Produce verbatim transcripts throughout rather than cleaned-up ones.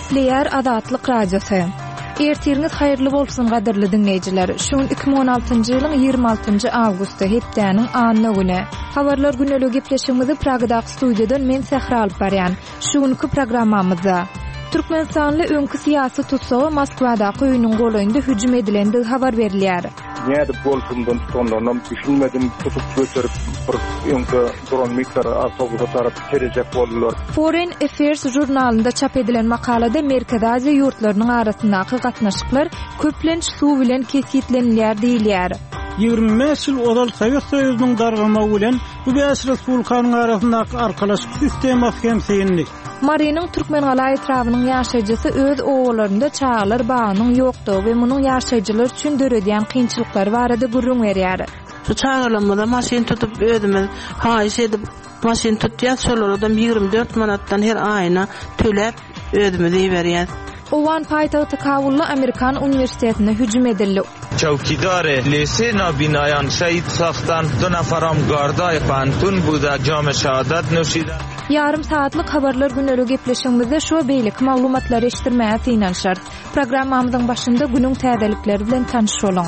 Gepleýär Azatlyk Radiosy. Ertiriňiz haýyrly bolsun gadyrly diňleýjiler. Şu gün iki müň on altynjy ýylyň ýigrimi altynjy awgusty, hepdäniň anna güni. Habarlar güneli gepleşigimizi Pragadaky studiýadan men Sähra alyp barýan. Şu günki programmamyzda Türkmenistanly öňki syýasy tutsaga Moskwadaky öýüniň golaýynda hüjüm edilendigi habar berilýär. Nädip bolsundan tutanlarynam düşünmedim, tutup göterip bir öňde duran mikro awtobusa tarap serejek boldular. Foreign Affairs žurnalynda çap edilen makalada Merkezi Aziýa ýurtlarynyň arasyndaky gatnaşyklar köplenç suw bilen kesgitlenilýär diýilýär. Ýigrimi bäş ýyl ozal Sowet Soýuzynyň dargamagy bilen bu bäş respublikanyň arasyndaky arkalaşyk sistemasy hem syndy. Marynyň Türkmengala etrabynyň ýaşaýjysy öz owalarynda çagalar bagynyň ýokdugy we munuň ýaşaýjylar üçin döredýän kynçylyklary barada gürrüň berýär. Şu çagalarymyza maşyn tutup özümiz haýyş edip maşyn tutýas, şolardan ýigrimi dört manatdan her aýyna töläp özümiz iberýäs. Owgan paýtagty Kabulda Amerikan uniwersitetine hüjüm edildi. Çawkidar lise nabinayan şehit saxtan du nafaram garday pantun buda jam şehadat nuşida. Ýarym saatlyk habarlar güneli gepleşigimizde şu beýleki maglumatlary eşitdirmäge synanyşarys. Programmamyzyň başynda günüň täzelikleri bilen tanyş boluň.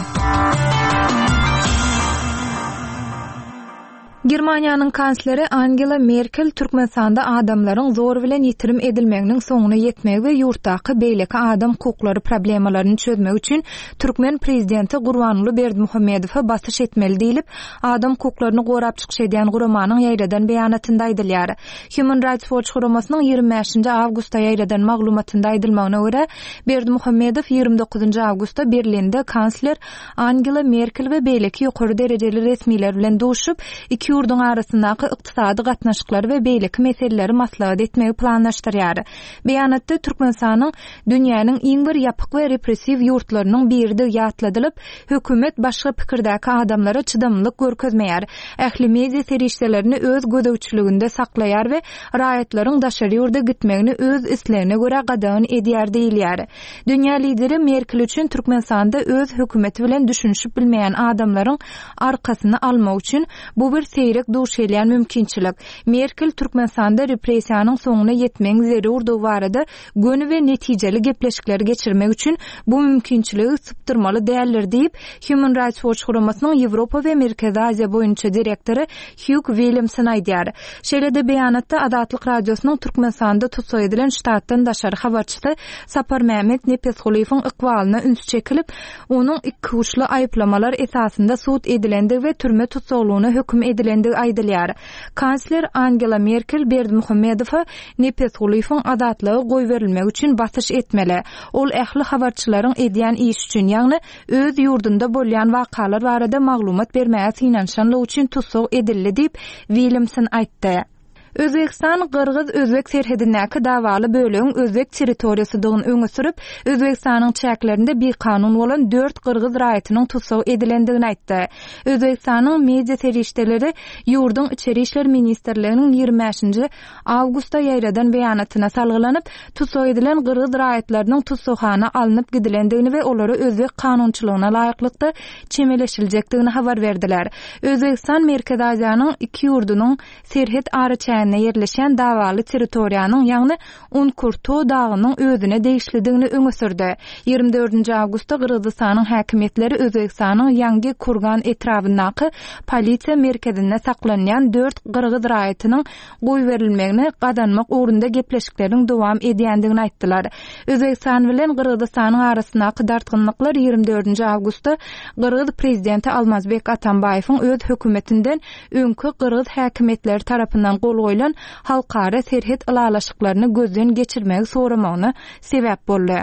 Germaniýanyň kansleri Angela Merkel Türkmenistanda adamlaryň zor bilen ýitirim edilmeginiň soňuna ýetmegi we ýurtdaky beýleki adam hukuklary problemalaryny çözmek üçin türkmen prezidenti Gurbanguly Berdimuhamedowa basyş etmeli diýlip, adam hukuklaryny gorap çykyş edýän guramanyň ýaýradan beýanatynda aýdylýar. Human Rights Watch guramasynyň ýigrimi bäşinji awgustda ýaýradan maglumatynda aýdylmagyna görä, Berdimuhamedow ýigrimi dokuzynjy awgustda Berlinde kansler Angela Merkel we beýleki ýokary derejeli resmiler bilen duşup, iki ýurduň arasyndaky ykdysady gatnaşyklary we beýleki meseleleri maslahat etmegi planlaşdyrýar. Beýanatda Türkmenistanyň dünýäniň iň bir ýapyk we repressiw ýurtlarynyň biridigi ýatladylyp, hökümet başga pikirdäki adamlara çydamlylyk görkezmeýär. Ähli media serişdelerini öz gözegçiliginde saklaýar we raýatlaryň daşary ýurda gitmegini öz islegine görä gadagan edýär diýilýär. Dünýä lideri Merkel üçin Türkmenistanda öz hökümeti bilen düşünişip bilmeýän adamlaryň arkasyny almak üçin bu bir seýrek duş gelýän mümkinçilik. Merkel Türkmenistanda repressiýanyň soňuna ýetmegiň zerurdygy barada göni we netijeli gepleşikleri geçirmek üçin bu mümkinçiligi sypdyrmaly däldir diýip, Human Rights Watch guramasynyň Ýewropa we Merkezi Aziýa boýunça direktory Hugh Williamson aýdýar. Şeýle-de beýanatda Azatlyk Radiosynyň Türkmenistanda tussag edilen ştatdan daşary habarçysy Sapar Mehmet Nepesgulyýewiň ykbalyna üns çekilip, onuň iki uçly aýyplamalar esasynda sud edilendigi we türme tussaglygyna höküm edilendigi aýdylýar. Kansler Angela Merkel Berdimuhamedowa Nepesgulyýewiň azatlygy goýberilmegi üçin basyş etmeli. Ol ähli habarçylaryň edýän iş üçin, ýagny öz ýurdunda bolýan wakalar barada maglumat bermäge synanyşanlygy üçin tussag edildi diýip Williamson aýtdy. Özbegistan Gyrgyz-Özbek serhedindäki dawaly bölegiň Özbek territoriýasydygyny öňe sürüp, Özbegistanyň çäklerinde bikanun bolan dört gyrgyz raýatynyň tussag edilendigini aýtdy. Özbegistanyň media serişdeleri ýurduň Içeri işler ministrliginiň ýigrimi bäşinji awgustda ýaýradan beýanatyna salgylanyp, tussag edilen gyrgyz raýatlarynyň tussaghana alnyp gidilendigini we olara özbek kanunçylygyna laýyklykda çemeleşiljekdigini habar berdiler. Özbegistan Merkezi Aziýanyň iki ýurdunyň serhet araçäginde ýerleşen dawaly territoriýanyň, ýagny Unkurto dagynyň özüne degişlidigini öňe sürdi. Ýigrimi dördünji awgustda Gyrgyzystanyň häkimiýetleri Özbegistanyň Ýangi Kurgan etrabyndaky polisiýa merkezinde saklanýan dört gyrgyz raýatynyň goýberilmegini gazanmak ugrunda gepleşikleriň dowam edýändigini aýtdylar. Özbegistan bilen Gyrgyzystanyň arasyndaky dartgynlyklar ýigrimi dördünji awgustda Gyrgyz prezidenti Almazbek Atambaýewiň öz hökümetinden öňki gyrgyz häkimiýetleri tarapyndan gol goýlan halkara serhet ylalaşyklaryny gözden geçirmegi soramagyna sebäp boldy.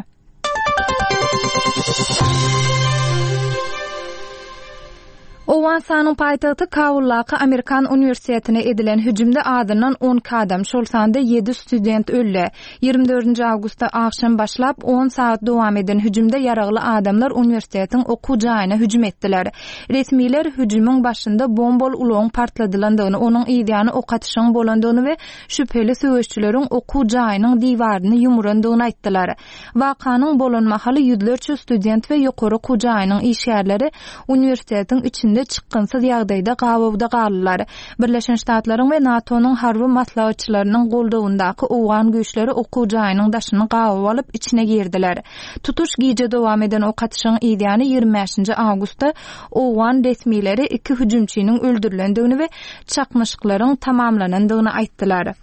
Owganystanyň paýtagty Kabuldaky Amerikan uniwersitetine edilen hüjümde adyndan on iki adam, şol sanda ýedi student öldi. Ýigrimi dördünji awgustda agşam başlap on saat dowam eden hüjümde ýaragly adamlar uniwersitetiň okuw jaýyna hüjüm etdiler. Resmiler hüjümiň başynda bombal ulagyň partladylandygyny, onuň ýany ok atyşyň bolandygyny we şübheli söweşçileriň okuw jaýynyň diwaryny ýumurandygyny aýtdylar. Wakanyň bolan mahaly ýüzlerçe student we ýokary okuw jaýynyň işgärleri uniwersitetiň içinde içinde çykgynsyz ýagdaýda gabawda galdylar. Birleşen Ştatlaryň we NATO-nyň harby maslahatçylarynyň goldawyndaky owgan güýçleri okuw jaýynyň daşyny gabaw alyp, içine girdiler. Tutuş gije dowam eden ok atyşygyň yzýany ýigrimi bäşinji awgustda owgan resmileri iki hüjümçiniň öldürilendigini we çaknyşyklaryň tamamlanandygyny aýtdylar.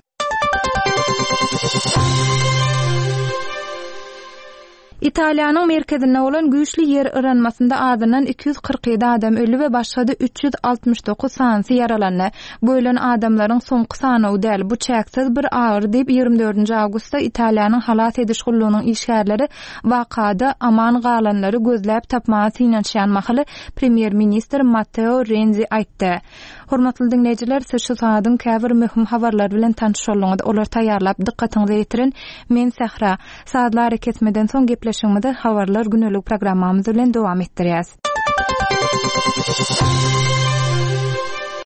Italiýanyň merkezinde bolan güýçli ýer yranmasynda azyndan iki ýüz kyrk ýedi adam öldi we başga-da üç ýüz altmyş dokuz sanysy ýaralandy. Bu ölen adamlaryň soňky sanawy däl, bu çäksiz bir agyry diýip, ýigrimi dördünji awgustda Italiýanyň halas ediş gullugynyň işgärleri wakada aman galanlary gözläp tapmaga synanyşýan mahaly premýer-ministr Matteo Renzi aýtdy. Hormatly diňleýjiler, siz şu sagadyň käbir möhüm habarlary bilen tanyş bolduňyz. Olary taýýarlap, dykgatyňyza ýetiren men Sähra. Sazly arakesmeden soň gepleşigimizi Habarlar gündelik programmamyz bilen dowam etdirýäs.